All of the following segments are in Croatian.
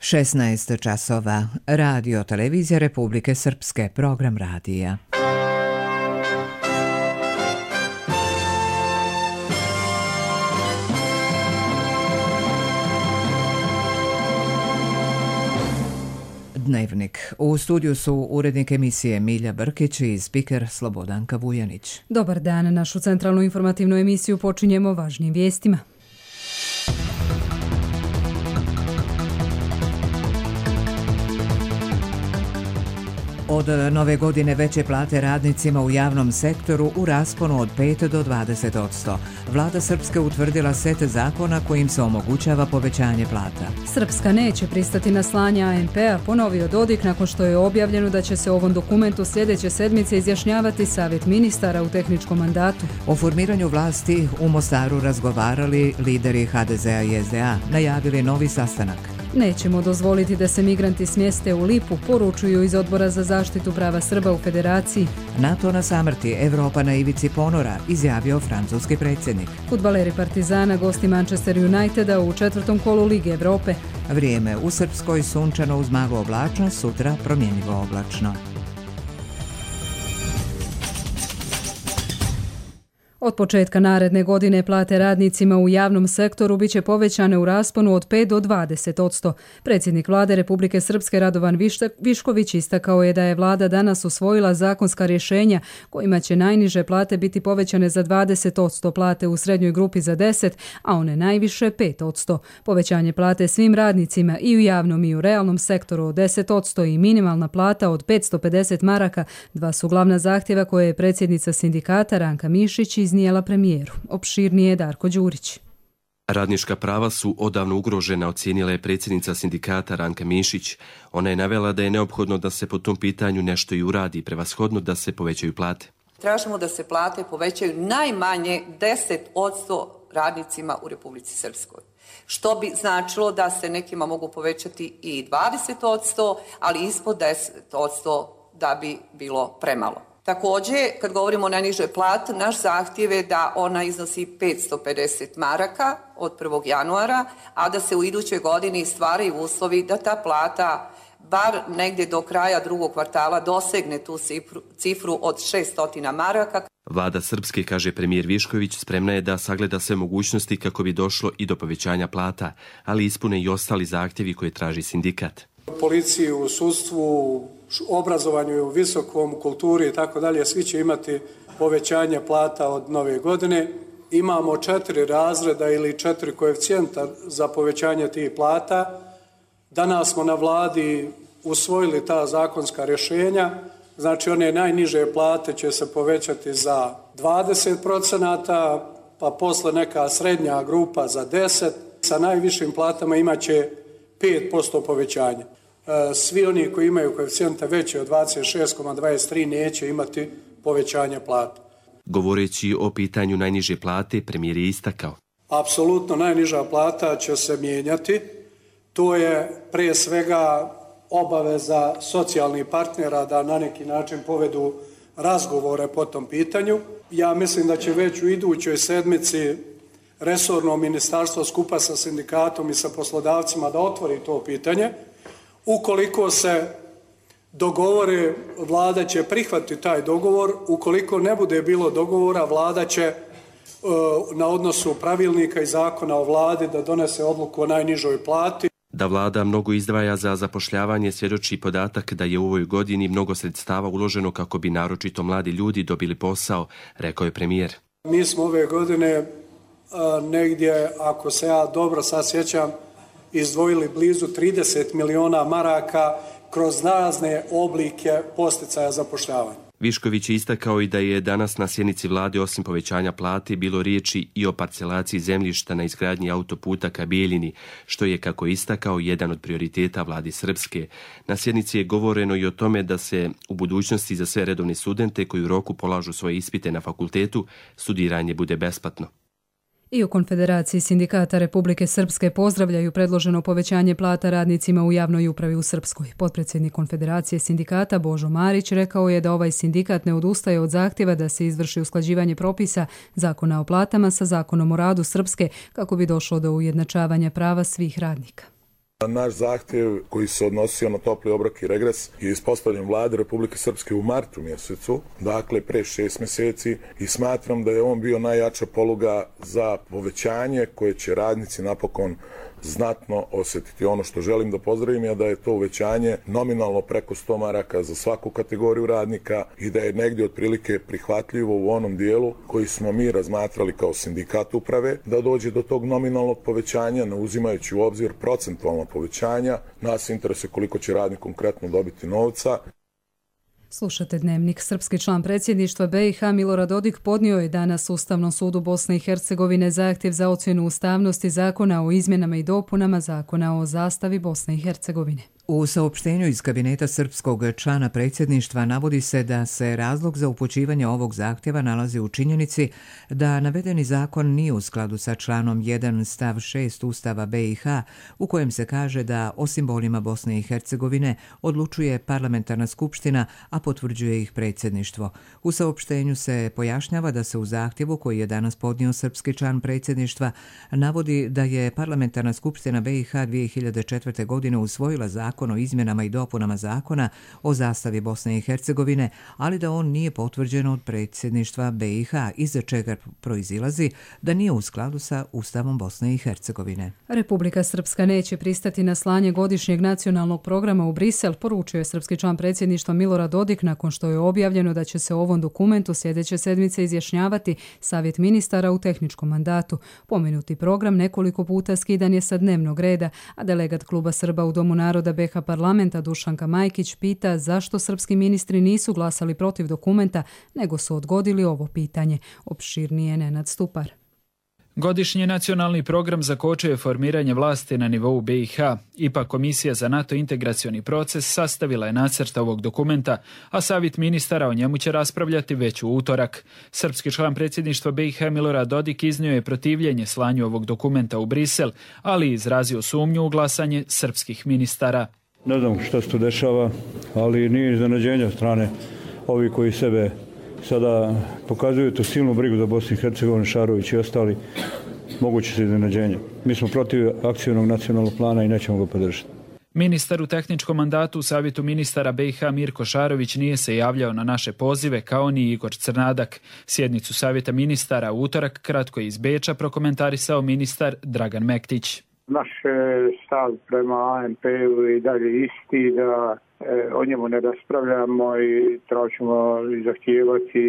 16 časova. Radio Televizija Republike Srpske. Program radija. Dnevnik. U studiju su urednik emisije Milja Brkić i spiker Slobodanka Vujanić. Dobar dan. Našu centralnu informativnu emisiju počinjemo važnim vijestima. Od nove godine veće plate radnicima u javnom sektoru u rasponu od 5 do 20%. Vlada Srpske utvrdila set zakona kojim se omogućava povećanje plata. Srpska neće pristati na slanje ANP-a, ponovio Dodik nakon što je objavljeno da će se o ovom dokumentu sljedeće sedmice izjašnjavati Savjet ministara u tehničkom mandatu. O formiranju vlasti u Mostaru razgovarali lideri HDZ-a i SDA, najavili novi sastanak. Nećemo dozvoliti da se migranti smjeste u Lipu, poručuju iz Odbora za zaštitu prava Srba u Federaciji. NATO na samrti, Evropa na ivici ponora, izjavio francuski predsjednik. Fudbaleri Partizana gosti Manchester Uniteda u četvrtom kolu Lige Evrope. Vrijeme u Srpskoj sunčano uz maglu oblačnost, sutra promjenjivo oblačno. Od početka naredne godine plate radnicima u javnom sektoru biće povećane u rasponu od 5 do 20%. Predsjednik Vlade Republike Srpske Radovan Višković istakao je da je Vlada danas usvojila zakonska rješenja kojima će najniže plate biti povećane za 20%, plate u srednjoj grupi za 10%, a one najviše 5%. Povećanje plate svim radnicima i u javnom i u realnom sektoru od 10% i minimalna plata od 550 maraka, dva su glavna zahtjeva koje je predsjednica sindikata Ranka Mišić iznijela premijeru. Opširnije je Darko Đurić. Radnička prava su odavno ugrožena, ocijenila je predsjednica sindikata Ranka Mišić. Ona je navela da je neophodno da se po tom pitanju nešto i uradi, prevashodno da se povećaju plate. Tražimo da se plate povećaju najmanje 10% radnicima u Republici Srpskoj. Što bi značilo da se nekima mogu povećati i 20%, ali ispod 10% da bi bilo premalo. Također, kad govorimo o najnižoj plati, naš zahtjev je da ona iznosi 550 maraka od 1. januara, a da se u idućoj godini stvaraju uslovi da ta plata bar negdje do kraja drugog kvartala dosegne tu cifru od 600 maraka. Vlada Srpske, kaže premijer Višković, spremna je da sagleda sve mogućnosti kako bi došlo i do povećanja plata, ali ispune i ostali zahtjevi koje traži sindikat. Policiji, u sudstvu, obrazovanju, u visokom, kulturi i tako dalje, svi će imati povećanje plata od nove godine. Imamo 4 razreda ili 4 koeficijenta za povećanje tih plata. Danas smo na vladi usvojili ta zakonska rješenja. Znači, one najniže plate će se povećati za 20%, pa posle neka srednja grupa za 10%. Sa najvišim platama imaće 5% povećanja. Svi oni koji imaju koeficijente veće od 26,23 neće imati povećanje plata. Govoreći o pitanju najniže plate, premijer je istakao. Apsolutno najniža plata će se mijenjati. To je prije svega obaveza socijalnih partnera da na neki način povedu razgovore po tom pitanju. Ja mislim da će već u idućoj sedmici resorno ministarstvo skupa sa sindikatom i sa poslodavcima da otvori to pitanje. Ukoliko se dogovore, vlada će prihvatiti taj dogovor. Ukoliko ne bude bilo dogovora, vlada će na odnosu pravilnika i zakona o vladi da donese odluku o najnižoj plati. Da vlada mnogo izdvaja za zapošljavanje svjedoči podatak da je u ovoj godini mnogo sredstava uloženo kako bi naročito mladi ljudi dobili posao, rekao je premijer. Mi smo ove godine negdje, ako se ja dobro sad sjećam, izdvojili blizu 30 miliona maraka kroz razne oblike podsticaja zapošljavanja. Višković je istakao i da je danas na sjednici vlade osim povećanja plate bilo riječi i o parcelaciji zemljišta na izgradnji autoputa ka Bijeljini, što je, kako je istakao, jedan od prioriteta vlade Srpske. Na sjednici je govoreno i o tome da se u budućnosti za sve redovne studente koji u roku polažu svoje ispite na fakultetu, studiranje bude besplatno. I u Konfederaciji sindikata Republike Srpske pozdravljaju predloženo povećanje plata radnicima u javnoj upravi u Srpskoj. Potpredsjednik Konfederacije sindikata Božo Marić rekao je da ovaj sindikat ne odustaje od zahtjeva da se izvrši usklađivanje propisa Zakona o platama sa Zakonom o radu Srpske kako bi došlo do ujednačavanja prava svih radnika. Naš zahtjev koji se odnosio na topli obrok i regres je ispostavljen Vladi Republike Srpske u martu mjesecu, dakle pre 6 mjeseci, i smatram da je on bio najjača poluga za povećanje koje će radnici napokon znatno osjetiti. Ono što želim da pozdravim je da je to uvećanje nominalno preko 100 maraka za svaku kategoriju radnika i da je negdje otprilike prihvatljivo u onom dijelu koji smo mi razmatrali kao sindikat uprave, da dođe do tog nominalnog povećanja, ne uzimajući u obzir procentualno povećanja. Nas interesuje koliko će radnik konkretno dobiti novca. Slušate Dnevnik. Srpski član predsjedništva BiH Milorad Dodik podnio je danas Ustavnom sudu Bosne i Hercegovine zahtjev za ocjenu ustavnosti zakona o izmjenama i dopunama zakona o zastavi Bosne i Hercegovine. U saopštenju iz kabineta srpskog člana predsjedništva navodi se da se razlog za upućivanje ovog zahtjeva nalazi u činjenici da navedeni zakon nije u skladu sa članom 1 stav 6 Ustava BiH u kojem se kaže da o simbolima Bosne i Hercegovine odlučuje parlamentarna skupština, a potvrđuje ih predsjedništvo. U saopštenju se pojašnjava da se u zahtjevu koji je danas podnio srpski član predsjedništva navodi da je parlamentarna skupština BiH 2004. godine usvojila zakon o izmjenama i dopunama zakona o zastavi Bosne i Hercegovine, ali da on nije potvrđen od predsjedništva BiH, iza čega proizilazi da nije u skladu sa Ustavom Bosne i Hercegovine. Republika Srpska neće pristati na slanje godišnjeg nacionalnog programa u Brisel, poručio je srpski član predsjedništva Milorad Dodik nakon što je objavljeno da će se o ovom dokumentu sljedeće sedmice izjašnjavati Savjet ministara u tehničkom mandatu. Pomenuti program nekoliko puta skidan je sa dnevnog reda, a delegat Kluba Srba u Domu naroda BiH parlamenta Dušanka Majkić pita zašto srpski ministri nisu glasali protiv dokumenta, nego su odgodili ovo pitanje. Opširnije Nenad Stupar. Godišnji nacionalni program zakočio je formiranje vlasti na nivou BiH. Ipak Komisija za NATO integracioni proces sastavila je nacrt ovog dokumenta, a Savjet ministara o njemu će raspravljati već u utorak. Srpski član predsjedništva BiH Milorad Dodik iznio je protivljenje slanju ovog dokumenta u Brisel, ali izrazio sumnju u glasanje srpskih ministara. Ne znam što se tu dešava, ali nije iznenađenje od strane ovi koji sebe sada pokazuju tu silnu brigu za Bosnu i Hercegovinu, Šarović i ostali, moguće se iznenađenje. Mi smo protiv akcijnog nacionalnog plana i nećemo ga podržati. Ministar u tehničkom mandatu u Savjetu ministara BiH Mirko Šarović nije se javljao na naše pozive, kao ni Igor Crnadak. Sjednicu Savjeta ministara u utorak kratko iz Beča prokomentarisao ministar Dragan Mektić. Naš stav prema ANP-u i dalje isti, da o njemu ne raspravljamo i tražimo i zahtijevati,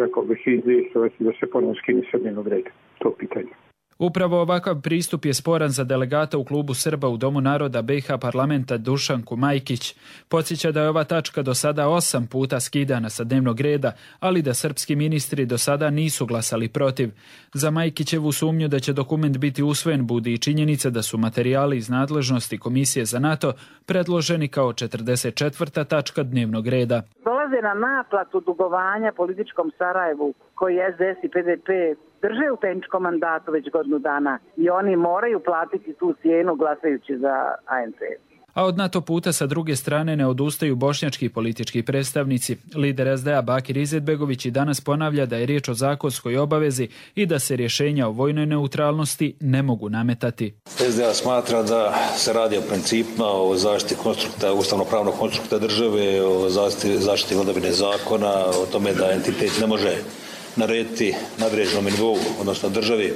rekao bih, izvjestovati da se ponovno skine sa dnevnog reda. To pitanje. Upravo ovakav pristup je sporan za delegata u Klubu Srba u Domu naroda BiH parlamenta Dušanku Majkić. Podsjeća da je ova tačka do sada 8 puta skidana sa dnevnog reda, ali da srpski ministri do sada nisu glasali protiv. Za Majkićevu sumnju da će dokument biti usvojen budi i činjenica da su materijali iz nadležnosti Komisije za NATO predloženi kao 44. tačka dnevnog reda. Dolaze na naplatu dugovanja političkom Sarajevu koji SDS i PDP drže u tehničkom mandatu već godinu dana i oni moraju platiti tu cijenu glasajući za ANP. A od NATO puta sa druge strane ne odustaju bošnjački politički predstavnici. Lider SDA Bakir Izetbegović i danas ponavlja da je riječ o zakonskoj obavezi i da se rješenja o vojnoj neutralnosti ne mogu nametati. SDA smatra da se radi o principima, o zaštiti konstrukta, ustavno-pravnog konstrukta države, o zaštiti vladavine zakona, o tome da entitet ne može narediti nadređenom nivou, odnosno državi,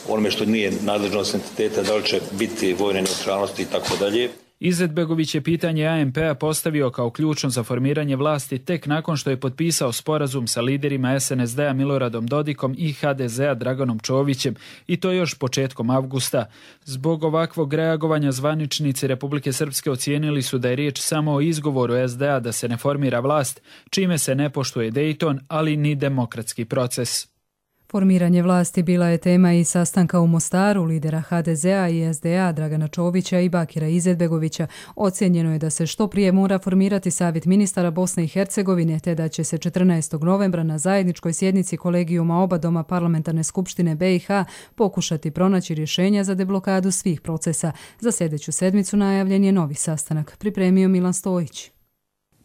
onome što nije nadležnost entiteta, da li će biti vojne neutralnosti i tako dalje. Izetbegović je pitanje ANP-a postavio kao ključno za formiranje vlasti tek nakon što je potpisao sporazum sa liderima SNSD-a Miloradom Dodikom i HDZ-a Draganom Čovićem, i to još početkom avgusta. Zbog ovakvog reagovanja zvaničnici Republike Srpske ocijenili su da je riječ samo o izgovoru SDA da se ne formira vlast, čime se ne poštuje Dejton, ali ni demokratski proces. Formiranje vlasti bila je tema i sastanka u Mostaru lidera HDZ-a i SDA Dragana Čovića i Bakira Izetbegovića. Ocijenjeno je da se što prije mora formirati Savjet ministara Bosne i Hercegovine, te da će se 14. novembra na zajedničkoj sjednici kolegijuma oba doma parlamentarne skupštine BiH pokušati pronaći rješenja za deblokadu svih procesa. Za sljedeću sedmicu najavljen je novi sastanak, pripremio Milan Stojić.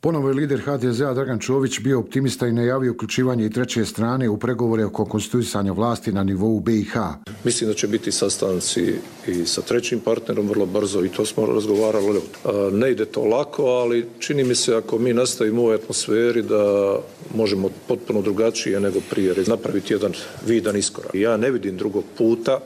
Ponovo je lider HDZ-a Dragan Čović bio optimista i najavio uključivanje i treće strane u pregovore oko konstituisanja vlasti na nivou BiH. Mislim da će biti sastanci i sa trećim partnerom vrlo brzo i to smo razgovarali. Ne ide to lako, ali čini mi se ako mi nastavimo u ovoj atmosferi da možemo potpuno drugačije nego prije napraviti jedan vidan iskorak. Ja ne vidim drugog puta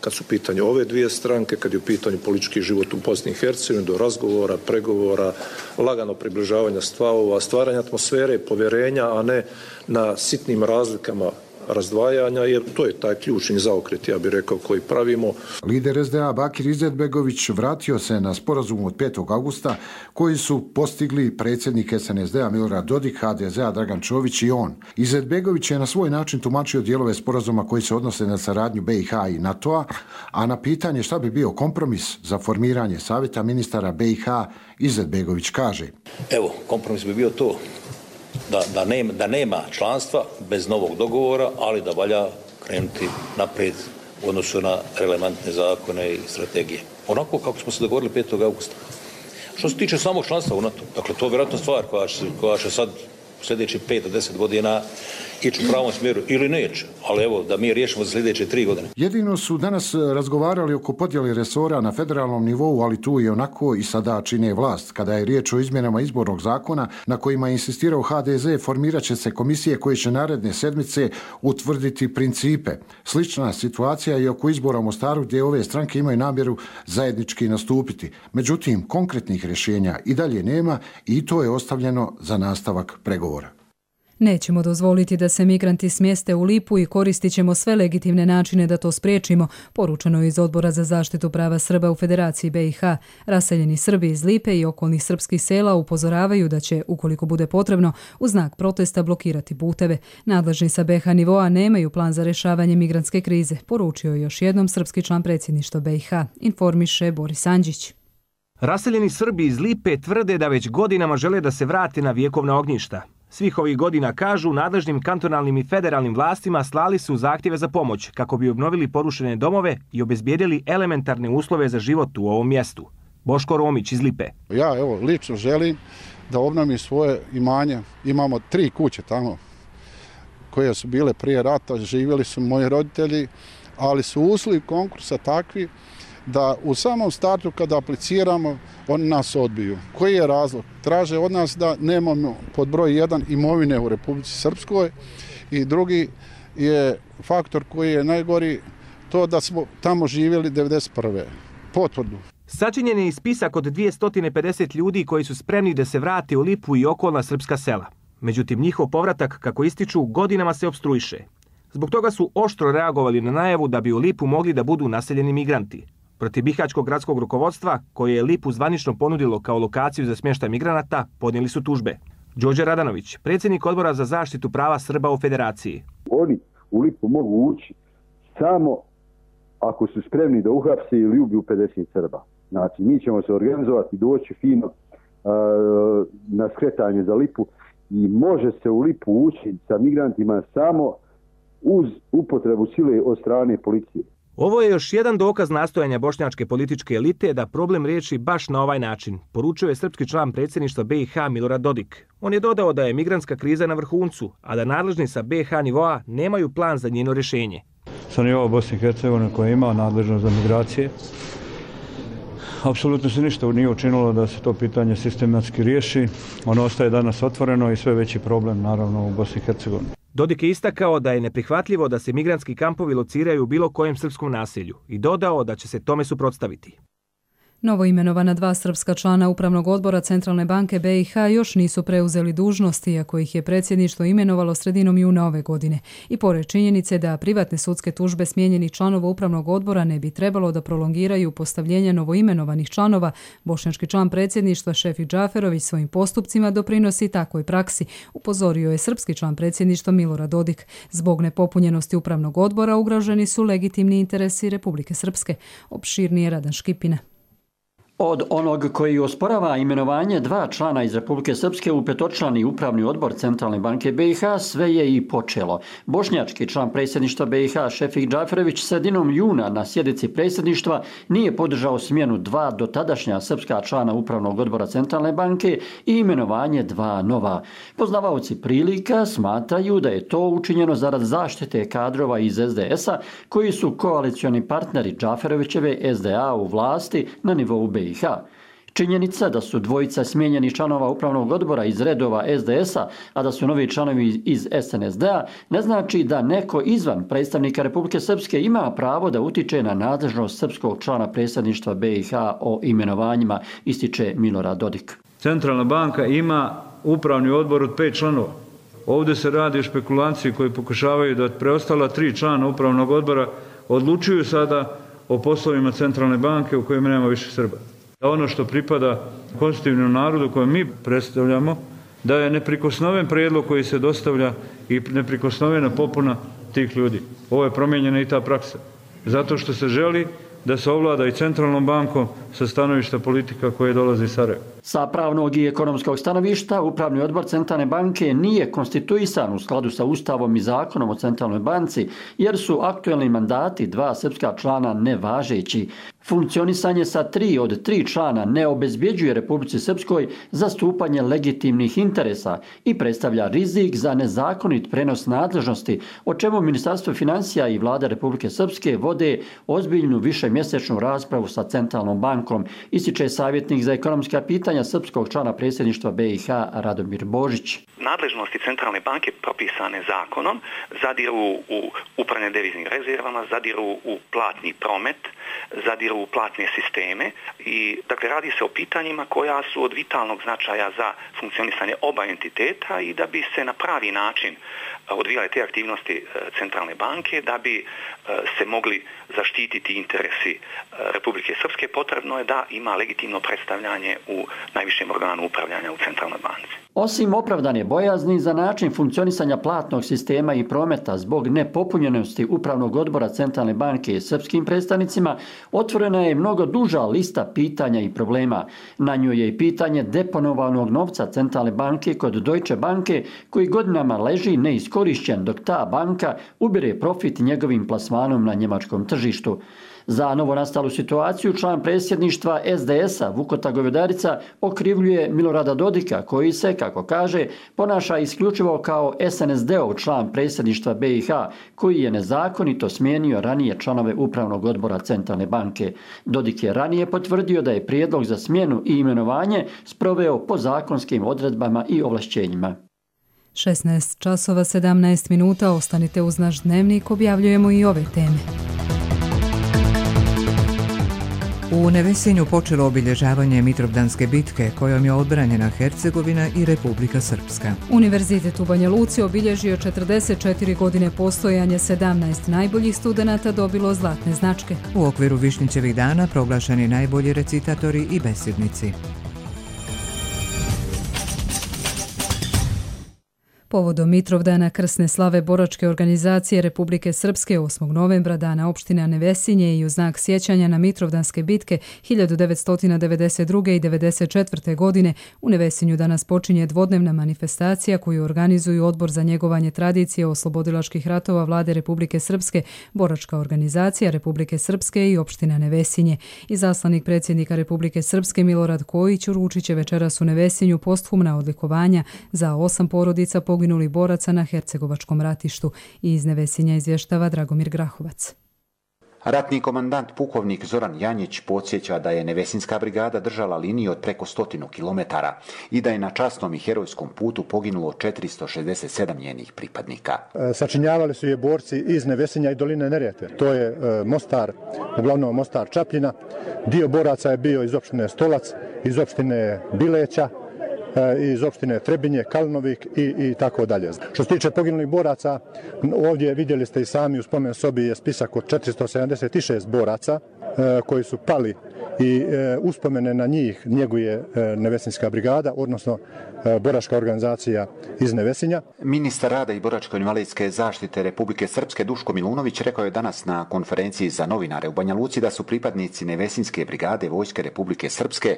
kad su u pitanju ove dvije stranke, kad je u pitanju politički život u Bosni i Hercegovini, do razgovora, pregovora, lagano približavanja stavova, stvaranja atmosfere, povjerenja, a ne na sitnim razlikama razdvajanja, jer to je taj ključni zaokret, ja bih rekao, koji pravimo. Lider SDA Bakir Izetbegović vratio se na sporazum od 5. augusta koji su postigli predsjednik SNSD-a Milorad Dodik, HDZ-a Dragan Čović i on. Izetbegović je na svoj način tumačio dijelove sporazuma koji se odnose na saradnju BiH i NATO-a, a na pitanje šta bi bio kompromis za formiranje savjeta ministara BiH, Izetbegović kaže: Evo, kompromis bi bio to. Da nema članstva bez novog dogovora, ali da valja krenuti naprijed u odnosu na relevantne zakone i strategije. Onako kako smo se dogovorili 5. augusta. Što se tiče samog članstva u NATO, dakle to je vjerojatno stvar koja će sad sljedeći 5 do 10 godina ići u pravom smjeru ili neće, ali evo da mi riješimo za sljedeće 3 godine. Jedino su danas razgovarali oko podjele resora na federalnom nivou, ali tu i onako i sada čine vlast. Kada je riječ o izmjenama izbornog zakona na kojima je insistirao HDZ, formirat će se komisije koje će naredne sedmice utvrditi principe. Slična situacija je oko izbora u Mostaru gdje ove stranke imaju namjeru zajednički nastupiti. Međutim, konkretnih rješenja i dalje nema i to je ostavljeno za nastavak pregovora. Nećemo dozvoliti da se migranti smjeste u Lipu i koristit ćemo sve legitimne načine da to spriječimo, poručeno je iz Odbora za zaštitu prava Srba u Federaciji BiH. Raseljeni Srbi iz Lipe i okolnih srpskih sela upozoravaju da će, ukoliko bude potrebno, u znak protesta blokirati puteve. Nadležni sa BiH nivoa nemaju plan za rješavanje migrantske krize, poručio je još jednom srpski član predsjedništva BiH, informiše Boris Andžić. Raseljeni Srbi iz Lipe tvrde da već godinama žele da se vrate na vjekovna ognjišta. Svih ovih godina, kažu, nadležnim kantonalnim i federalnim vlastima slali su zahtjeve za pomoć kako bi obnovili porušene domove i obezbijedili elementarne uslove za život u ovom mjestu. Boško Romić iz Lipe. Ja lično želim da obnovim svoje imanje. Imamo 3 kuće tamo koje su bile prije rata, živjeli su moji roditelji, ali su uslovi konkursa takvi da u samom startu kada apliciramo, oni nas odbiju. Koji je razlog? Traže od nas da nemamo pod broj 1 imovine u Republici Srpskoj i drugi je faktor koji je najgori to da smo tamo živjeli 1991. Potvrdu. Sačinjen je i spisak od 250 ljudi koji su spremni da se vrate u Lipu i okolna srpska sela. Međutim, njihov povratak, kako ističu, godinama se opstruiše. Zbog toga su oštro reagovali na najavu da bi u Lipu mogli da budu naseljeni migranti. Protiv bihaćkog gradskog rukovodstva, koje je Lipu zvanično ponudilo kao lokaciju za smještaj migranata, podnijeli su tužbe. Đorđe Radanović, predsjednik Odbora za zaštitu prava Srba u Federaciji. Oni u Lipu mogu ući samo ako su spremni da uhapse ili ubiju 50 Srba. Znači, mi ćemo se organizovati, doći fino na skretanje za Lipu i može se u Lipu ući sa migrantima samo uz upotrebu sile od strane policije. Ovo je još jedan dokaz nastojanja bošnjačke političke elite da problem riješi baš na ovaj način, poručio je srpski član predsjedništva BiH Milorad Dodik. On je dodao da je migrantska kriza na vrhuncu, a da nadležni sa BiH nivoa nemaju plan za njeno rješenje. Sa nivoa Bosne i Hercegovine koja ima nadležnost za migracije, apsolutno se ništa nije učinilo da se to pitanje sistematski riješi. Ono ostaje danas otvoreno i sve veći problem naravno u Bosni i Hercegovini. Dodik je istakao da je neprihvatljivo da se migrantski kampovi lociraju u bilo kojem srpskom naselju i dodao da će se tome suprotstaviti. Novoimenovana 2 srpska člana Upravnog odbora Centralne banke BiH još nisu preuzeli dužnosti, iako ih je predsjedništvo imenovalo sredinom juna ove godine. I pored činjenice da privatne sudske tužbe smijenjenih članova Upravnog odbora ne bi trebalo da prolongiraju postavljenje novoimenovanih članova, bošnjački član predsjedništva Šefik Džaferović svojim postupcima doprinosi takvoj praksi, upozorio je srpski član predsjedništva Milorad Dodik. Zbog nepopunjenosti Upravnog odbora ugroženi su legitimni interesi Republike Srpske. Opširnije Radan Škipina. Od onog koji osporava imenovanje 2 člana iz Republike Srpske u petočlani upravni odbor Centralne banke BiH sve je i počelo. Bošnjački član predsjedništva BiH Šefik Džaferević sredinom juna na sjednici predsjedništva nije podržao smjenu 2 dotadašnja srpska člana upravnog odbora Centralne banke i imenovanje 2 nova. Poznavaoci prilika smatraju da je to učinjeno zarad zaštite kadrova iz SDS-a koji su koalicioni partneri Džaferevićeve SDA u vlasti na nivou BiH. Činjenica da su dvojica smijenjenih članova upravnog odbora iz redova SDS-a, a da su novi članovi iz SNSD-a, ne znači da neko izvan predstavnika Republike Srpske ima pravo da utiče na nadležnost srpskog člana predsjedništva BiH o imenovanjima, ističe Milorad Dodik. Centralna banka ima upravni odbor od 5 članova. Ovdje se radi o špekulaciji koji pokušavaju da preostala 3 člana upravnog odbora odlučuju sada o poslovima Centralne banke u kojima nema više Srba. Ono što pripada konstitutivnom narodu koje mi predstavljamo, da je neprikosnoven prijedlog koji se dostavlja i neprikosnovena popuna tih ljudi. Ovo je promijenjena i ta praksa. Zato što se želi da se ovlada i Centralnom bankom sa stanovišta politika koje dolazi iz Sarajeva. Sa pravnog i ekonomskog stanovišta, Upravni odbor Centralne banke nije konstituisan u skladu sa Ustavom i Zakonom o Centralnoj banci, jer su aktuelni mandati 2 srpska člana nevažeći. Funkcionisanje sa 3 od 3 člana ne obezbjeđuje Republici Srpskoj zastupanje legitimnih interesa i predstavlja rizik za nezakonit prenos nadležnosti, o čemu Ministarstvo financija i Vlada Republike Srpske vode ozbiljnu višemjesečnu raspravu sa Centralnom bankom, ističe savjetnik za ekonomska pitanja srpskog člana predsjedništva BiH Radomir Božić. Nadležnosti Centralne banke propisane zakonom zadiru u upravljanje deviznim rezervama, zadiru u platni promet, zadiru u platne sisteme i dakle radi se o pitanjima koja su od vitalnog značaja za funkcionisanje oba entiteta i da bi se na pravi način odvijale te aktivnosti Centralne banke, da bi se mogli zaštititi interesi Republike Srpske, potrebno je da ima legitimno predstavljanje u najvišem organu upravljanja u Centralnoj banci. Osim opravdane bojazni za način funkcionisanja platnog sistema i prometa zbog nepopunjenosti upravnog odbora Centralne banke srpskim predstavnicima, otvorena je mnogo duža lista pitanja i problema. Na njoj je i pitanje deponovanog novca Centralne banke kod Deutsche banke koji godinama leži neiskorišćen dok ta banka ubire profit njegovim plasmanom na njemačkom tržištu. Za novonastalu situaciju član predsjedništva SDS-a Vukota Govedarica okrivljuje Milorada Dodika koji se, kako kaže, ponaša isključivo kao SNSD-ov član predsjedništva BiH koji je nezakonito smijenio ranije članove upravnog odbora Centralne banke. Dodik je ranije potvrdio da je prijedlog za smjenu i imenovanje sproveo po zakonskim odredbama i ovlašćenjima. 16 časova 17 minuta, ostanite uz naš dnevnik, objavljujemo i ove teme. U Nevesinju počelo obilježavanje Mitrovdanske bitke kojom je odbranjena Hercegovina i Republika Srpska. Univerzitet u Banja Luci obilježio 44 godine postojanja, 17 najboljih studenata dobilo zlatne značke. U okviru Višnjićevih dana proglašeni najbolji recitatori i besednici. Povodom Mitrovdana krsne slave boračke organizacije Republike Srpske 8. novembra, dana opštine Nevesinje i u znak sjećanja na Mitrovdanske bitke 1992. i 1994. godine, u Nevesinju danas počinje dvodnevna manifestacija koju organizuju Odbor za njegovanje tradicije oslobodilačkih ratova Vlade Republike Srpske, boračka organizacija Republike Srpske i opština Nevesinje. Izaslanik predsjednika Republike Srpske Milorad Kojić uručit će večeras u Nevesinju posthumna odlikovanja za 8 porodica poginulih boraca na Hercegovačkom ratištu. I iz Nevesinja izvještava Dragomir Grahovac. Ratni komandant pukovnik Zoran Janjić podsjeća da je Nevesinska brigada držala liniju od preko 100 kilometara i da je na časnom i herojskom putu poginulo 467 njenih pripadnika. Sačinjavali su je borci iz Nevesinja i doline Neretve. To je Mostar, uglavnom Mostar Čapljina. Dio boraca je bio iz opštine Stolac, iz opštine Bileća, iz opštine Trebinje, Kalnovik i tako dalje. Što se tiče poginulih boraca, ovdje vidjeli ste i sami u spomen sobi je spisak od 476 boraca koji su pali i uspomene na njih njeguje Nevesinjska brigada, odnosno boračka organizacija iz Nevesinja. Ministar rada i boračko-invalidske zaštite Republike Srpske Duško Milunović rekao je danas na konferenciji za novinare u Banja Luci da su pripadnici Nevesinjske brigade Vojske Republike Srpske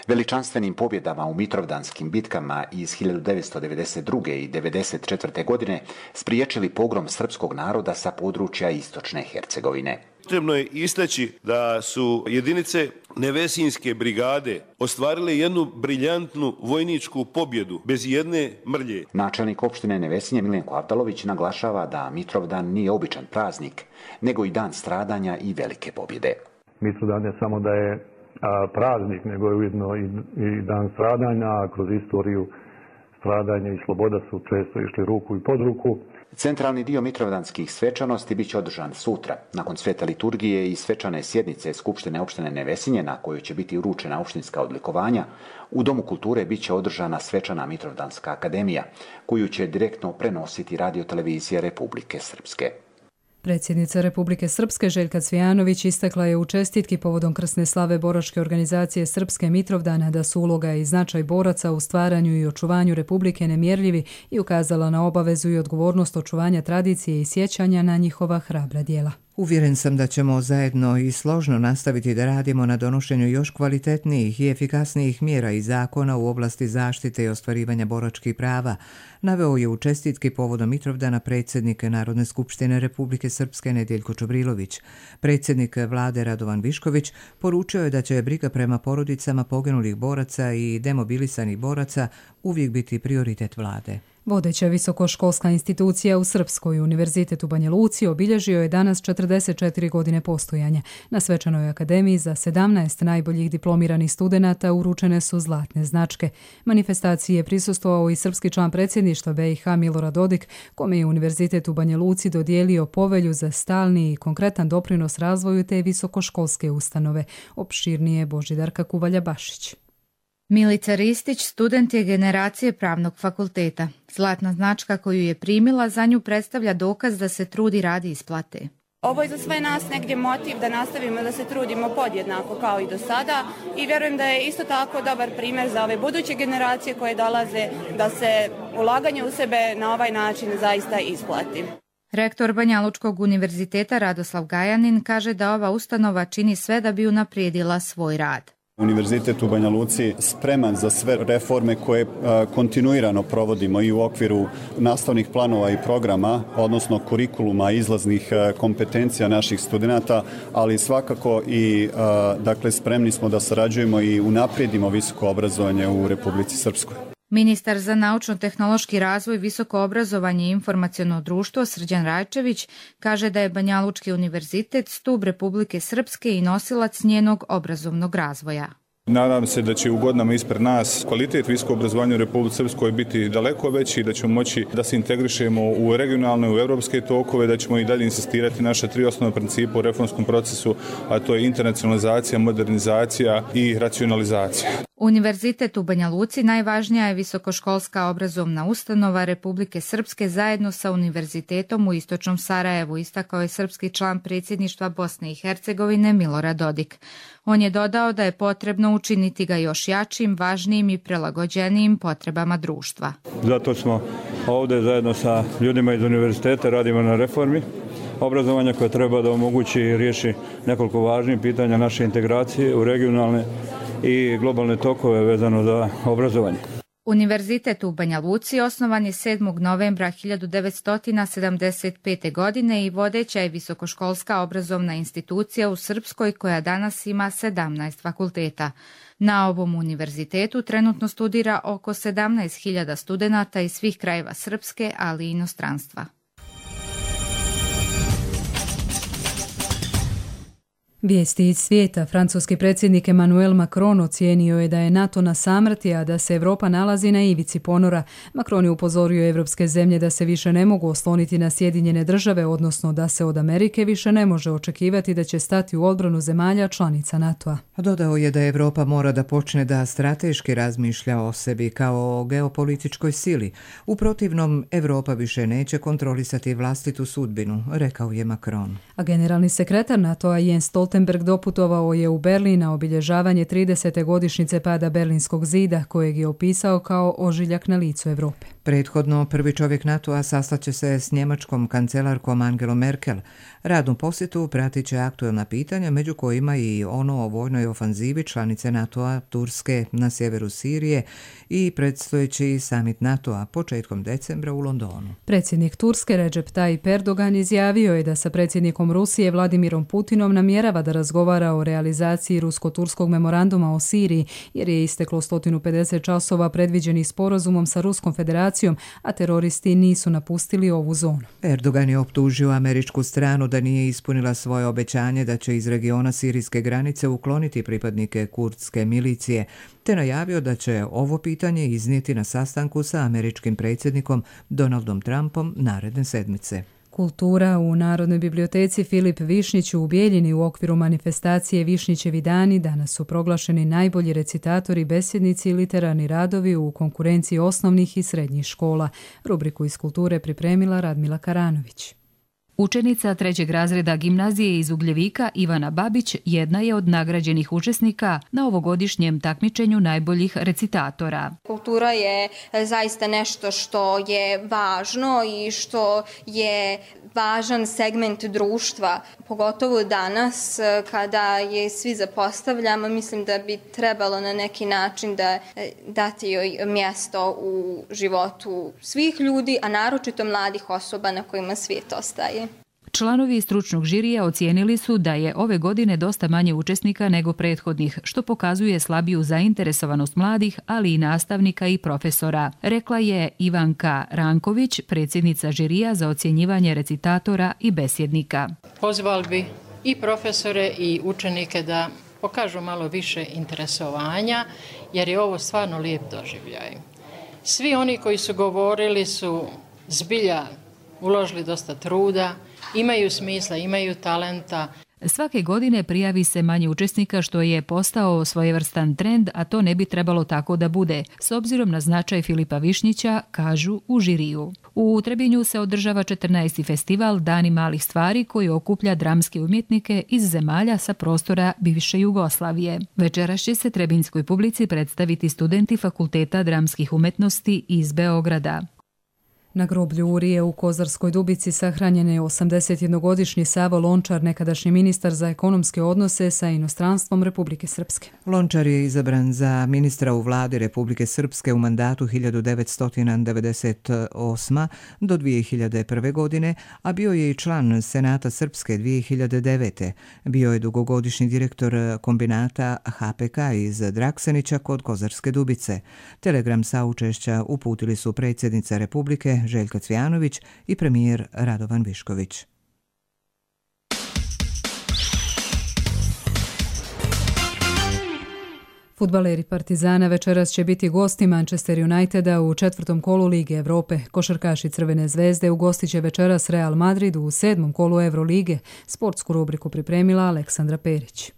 veličanstvenim pobjedama u mitrovdanskim bitkama iz 1992. i 1994. godine spriječili pogrom srpskog naroda sa područja istočne Hercegovine. Potrebno je istaći da su jedinice Nevesinjske brigade ostvarile jednu briljantnu vojničku pobjedu bez jedne mrlje. Načelnik opštine Nevesinje Miljenko Avdalović naglašava da Mitrovdan nije običan praznik, nego i dan stradanja i velike pobjede. Mitrovdan ne samo da je praznik, nego je ujedno i dan stradanja, a kroz istoriju stradanja i sloboda su često išli ruku i pod ruku. Centralni dio mitrovdanskih svečanosti bit će održan sutra, nakon svete liturgije i svečane sjednice Skupštine opštine Nevesinje, na kojoj će biti uručena opštinska odlikovanja. U Domu kulture bit će održana svečana Mitrovdanska akademija, koju će direktno prenositi radiotelevizija Republike Srpske. Predsjednica Republike Srpske Željka Cvijanović istakla je u čestitki povodom krsne slave boračke organizacije Srpske Mitrovdana da su uloga i značaj boraca u stvaranju i očuvanju Republike nemjerljivi i ukazala na obavezu i odgovornost očuvanja tradicije i sjećanja na njihova hrabra djela. Uvjeren sam da ćemo zajedno i složno nastaviti da radimo na donošenju još kvalitetnijih i efikasnijih mjera i zakona u oblasti zaštite i ostvarivanja boračkih prava, naveo je u čestitki povodom Mitrovdana predsjednik Narodne skupštine Republike Srpske Nedjeljko Čobrilović. Predsjednik vlade Radovan Višković poručio je da će briga prema porodicama poginulih boraca i demobilisanih boraca uvijek biti prioritet vlade. Vodeća visokoškolska institucija u Srpskoj, Univerzitet u Banja Luci, obilježio je danas 44 godine postojanja. Na svečanoj akademiji za 17 najboljih diplomiranih studenata uručene su zlatne značke. Manifestaciji je prisustvovao i srpski član predsjedništva BiH Milorad Dodik, kome je Univerzitet u Banja Luci dodijelio povelju za stalni i konkretan doprinos razvoju te visokoškolske ustanove. Opširnije Božidarka Kuvalja-Bašić. Milica Ristić student je generacije Pravnog fakulteta. Zlatna značka koju je primila za nju predstavlja dokaz da se trudi radi isplate. Ovo je za sve nas negdje motiv da nastavimo da se trudimo podjednako kao i do sada i vjerujem da je isto tako dobar primjer za ove buduće generacije koje dolaze da se ulaganje u sebe na ovaj način zaista isplati. Rektor Banjalučkog univerziteta Radoslav Gajanin kaže da ova ustanova čini sve da bi unaprijedila svoj rad. Univerzitet u Banja Luci spreman za sve reforme koje kontinuirano provodimo i u okviru nastavnih planova i programa, odnosno kurikuluma, izlaznih kompetencija naših studenata, ali svakako i dakle spremni smo da sarađujemo i unaprijedimo visoko obrazovanje u Republici Srpskoj. Ministar za naučno-tehnološki razvoj, visoko obrazovanje i informaciono društvo Srđan Rajčević kaže da je Banjalučki univerzitet stub Republike Srpske i nosilac njenog obrazovnog razvoja. Nadam se da će u godinama ispred nas kvalitet visokog obrazovanja u Republici Srpskoj biti daleko veći, da ćemo moći da se integrišemo u regionalne, u evropske tokove, da ćemo i dalje insistirati naša 3 osnovna principa u reformskom procesu, a to je internacionalizacija, modernizacija i racionalizacija. Univerzitet u Banja Luci najvažnija je visokoškolska obrazovna ustanova Republike Srpske zajedno sa Univerzitetom u Istočnom Sarajevu, istakao je srpski član predsjedništva Bosne i Hercegovine Milorad Dodik. On je dodao da je potrebno učiniti ga još jačim, važnijim i prilagođenijim potrebama društva. Zato smo ovdje zajedno sa ljudima iz univerziteta radimo na reformi obrazovanja koja treba da omogući i riješi nekoliko važnih pitanja naše integracije u regionalne i globalne tokove vezano za obrazovanje. Univerzitet u Banja Luci osnovan je 7. novembra 1975. godine i vodeća je visokoškolska obrazovna institucija u Srpskoj koja danas ima 17 fakulteta. Na ovom univerzitetu trenutno studira oko 17.000 studenata iz svih krajeva Srpske, ali i inostranstva. Vijesti iz svijeta. Francuski predsjednik Emmanuel Macron ocijenio je da je NATO na samrti, a da se Europa nalazi na ivici ponora. Macron je upozorio evropske zemlje da se više ne mogu osloniti na Sjedinjene države, odnosno da se od Amerike više ne može očekivati da će stati u odbranu zemalja članica NATO-a. Dodao je da Europa mora da počne da strateški razmišlja o sebi kao o geopolitičkoj sili. U protivnom, Europa više neće kontrolisati vlastitu sudbinu, rekao je Macron. A generalni sekretar NATO-a Jens Stoltenberg Stoltenberg doputovao je u Berlin na obilježavanje 30. godišnjice pada Berlinskog zida, kojeg je opisao kao ožiljak na licu Europe. Prethodno, prvi čovjek NATO-a sastaće se s njemačkom kancelarkom Angelom Merkel. Radnu posjetu pratit će aktuelna pitanja, među kojima i ono o vojnoj ofanzivi članice NATO-a Turske na sjeveru Sirije i predstojeći samit NATO-a početkom decembra u Londonu. Predsjednik Turske Recep Tayyip Erdogan izjavio je da sa predsjednikom Rusije Vladimirom Putinom namjerava da razgovara o realizaciji rusko-turskog memoranduma o Siriji, jer je isteklo 150 časova predviđenih sporazumom sa Ruskom federacijom, a teroristi nisu napustili ovu zonu. Erdogan je optužio američku stranu da nije ispunila svoje obećanje da će iz regiona sirijske granice ukloniti pripadnike kurdske milicije, te najavio da će ovo pitanje iznijeti na sastanku sa američkim predsjednikom Donaldom Trumpom naredne sedmice. Kultura u Narodnoj biblioteci Filip Višnjić u Bijeljini u okviru manifestacije Višnjićevi dani danas su proglašeni najbolji recitatori, besjednici i literarni radovi u konkurenciji osnovnih i srednjih škola. Rubriku iz kulture pripremila Radmila Karanović. Učenica 3. razreda gimnazije iz Ugljevika Ivana Babić jedna je od nagrađenih učesnika na ovogodišnjem takmičenju najboljih recitatora. Kultura je zaista nešto što je važno i što je važan segment društva, pogotovo danas kada je svi zapostavljamo. Mislim da bi trebalo na neki način da dati joj mjesto u životu svih ljudi, a naročito mladih osoba na kojima svijet ostaje. Članovi stručnog žirija ocijenili su da je ove godine dosta manje učesnika nego prethodnih, što pokazuje slabiju zainteresovanost mladih, ali i nastavnika i profesora, rekla je Ivanka Ranković, predsjednica žirija za ocjenjivanje recitatora i besjednika. Pozvali bi i profesore i učenike da pokažu malo više interesovanja, jer je ovo stvarno lijep doživljaj. Svi oni koji su govorili su zbilja uložili dosta truda, imaju smisla, imaju talenta. Svake godine prijavi se manje učesnika, što je postao svojevrstan trend, a to ne bi trebalo tako da bude, s obzirom na značaj Filipa Višnjića, kažu u žiriju. U Trebinju se održava 14. festival Dani malih stvari, koji okuplja dramske umjetnike iz zemalja sa prostora bivše Jugoslavije. Večeras će se trebinjskoj publici predstaviti studenti Fakulteta dramskih umjetnosti iz Beograda. Na groblju Urije u Kozarskoj Dubici sahranjen je 81-godišnji Savo Lončar, nekadašnji ministar za ekonomske odnose sa inostranstvom Republike Srpske. Lončar je izabran za ministra u vladi Republike Srpske u mandatu 1998. do 2001. godine, a bio je i član Senata Srpske 2009. Bio je dugogodišnji direktor kombinata HPK iz Draksenića kod Kozarske Dubice. Telegram saučešća uputili su predsjednica Republike Željka Cvijanović i premijer Radovan Višković. Fudbaleri Partizana večeras će biti gosti Manchester Uniteda u 4. kolu Lige Europe. Košarkaši Crvene zvezde ugostit će večeras Real Madrid u 7. kolu Eurolige. Sportsku rubriku pripremila Aleksandra Perić.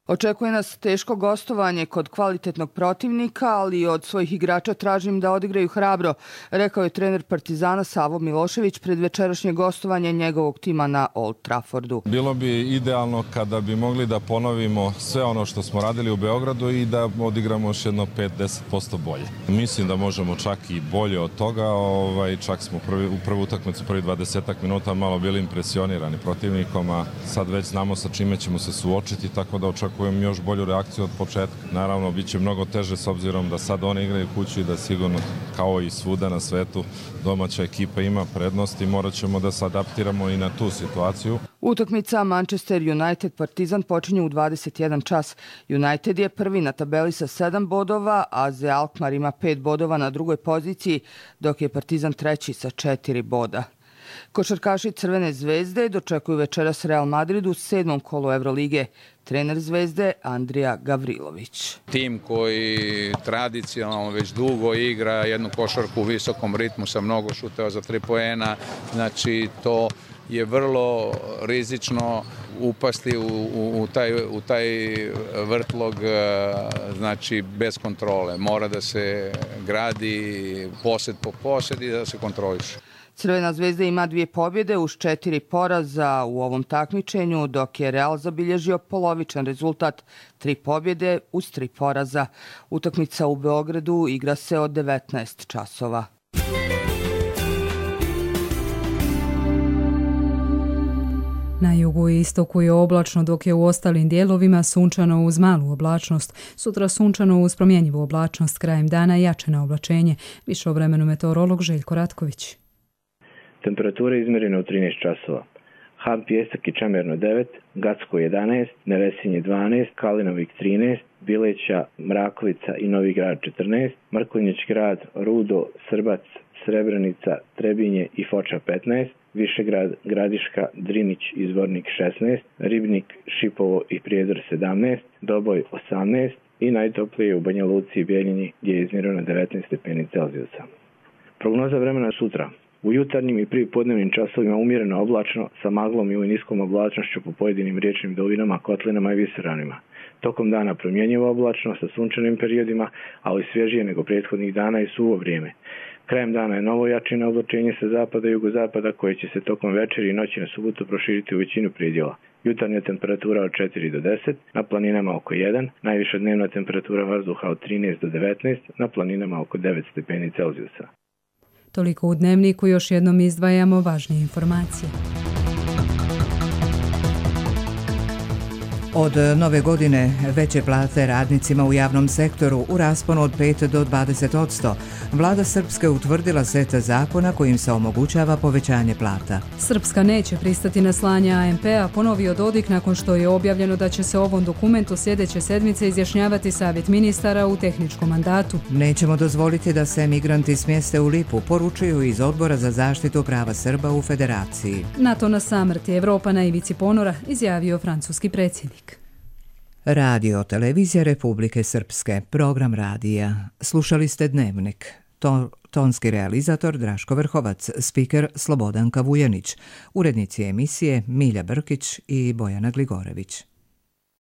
Očekuje nas teško gostovanje kod kvalitetnog protivnika, ali od svojih igrača tražim da odigraju hrabro, rekao je trener Partizana Savo Milošević pred večerašnje gostovanje njegovog tima na Old Traffordu. Bilo bi idealno kada bi mogli da ponovimo sve ono što smo radili u Beogradu i da odigramo još jedno 5-10% bolje. Mislim da možemo čak i bolje od toga, čak smo u prvu utakmicu, prvi 20 minuta malo bili impresionirani protivnikom, a sad već znamo sa čime ćemo se suočiti, tako da očekujem još bolju reakciju od početka. Naravno, bit će mnogo teže s obzirom da sad oni igraju kući i da sigurno, kao i svuda na svetu, domaća ekipa ima prednost i morat ćemo da se adaptiramo i na tu situaciju. Utakmica Manchester United Partizan počinje u 21 čas. United je prvi na tabeli sa 7 bodova, a AZ Alkmaar ima 5 bodova na drugoj poziciji, dok je Partizan treći sa 4 boda. Košarkaši Crvene zvezde dočekuju večeras Real Madrid u 7. kolu Eurolige. Trener Zvezde Andrija Gavrilović. Tim koji tradicionalno već dugo igra jednu košarku u visokom ritmu sa mnogo šuteva za 3 poena, znači to je vrlo rizično upasti u taj vrtlog, znači bez kontrole. Mora da se gradi posed po posed i da se kontroliše. Crvena zvezda ima 2 pobjede uz 4 poraza u ovom takmičenju, dok je Real zabilježio polovičan rezultat 3 pobjede uz 3 poraza. Utakmica u Beogradu igra se od 19 časova. Na jugu i istoku je oblačno, dok je u ostalim dijelovima sunčano uz malu oblačnost. Sutra sunčano uz promjenjivu oblačnost, krajem dana jače na oblačenje. Više o vremenu meteorolog Željko Ratković. Temperatura je izmjerena u 13 časova. Ham Pijesak i Čamerno 9, Gacko 11, Nevesinje 12, Kalinovik 13, Bileća, Mrakovica i Novi Grad 14, Mrkonjić Grad, Rudo, Srbac, Srebrenica, Trebinje i Foča 15, Višegrad, Gradiška, Drinić i Zvornik 16, Ribnik, Šipovo i Prijedor 17, Doboj 18 i najtoplije u Banja Luci i Bijeljini gdje je izmjereno 19 stepeni Celzijusa. Prognoza vremena sutra. U jutarnjim i pripodnevnim časovima umjereno oblačno sa maglom i niskom oblačnošću po pojedinim riječnim dolinama, kotlinama i visoravnima. Tokom dana promjenjivo oblačno sa sunčanim periodima, ali svježije nego prethodnih dana i suvo vrijeme. Krajem dana je novo jačino oblačenje sa zapada i jugozapada koje će se tokom večeri i noći na subotu proširiti u većinu predjela. Jutarnja temperatura od 4 do 10, na planinama oko 1, najviša dnevna temperatura vazduha od 13 do 19, na planinama oko 9 stepeni Celzijusa. Toliko u Dnevniku, još jednom izdvajamo važnije informacije. Od nove godine veće plate radnicima u javnom sektoru u rasponu od 5 do 20%. Vlada Srpske utvrdila set zakona kojim se omogućava povećanje plata. Srpska neće pristati na slanje AMP-a, ponovio Dodik nakon što je objavljeno da će se ovom dokumentu sljedeće sedmice izjašnjavati Savjet ministara u tehničkom mandatu. Nećemo dozvoliti da se migranti smjeste u Lipu, poručuju iz Odbora za zaštitu prava Srba u Federaciji. NATO na samrti, Evropa na ivici ponora, izjavio francuski predsjednik. Radio Televizija Republike Srpske, program radija. Slušali ste Dnevnik. Tonski realizator Draško Vrhovac, spiker Slobodanka Vujanić, urednici emisije Milja Brkić i Bojana Gligorević.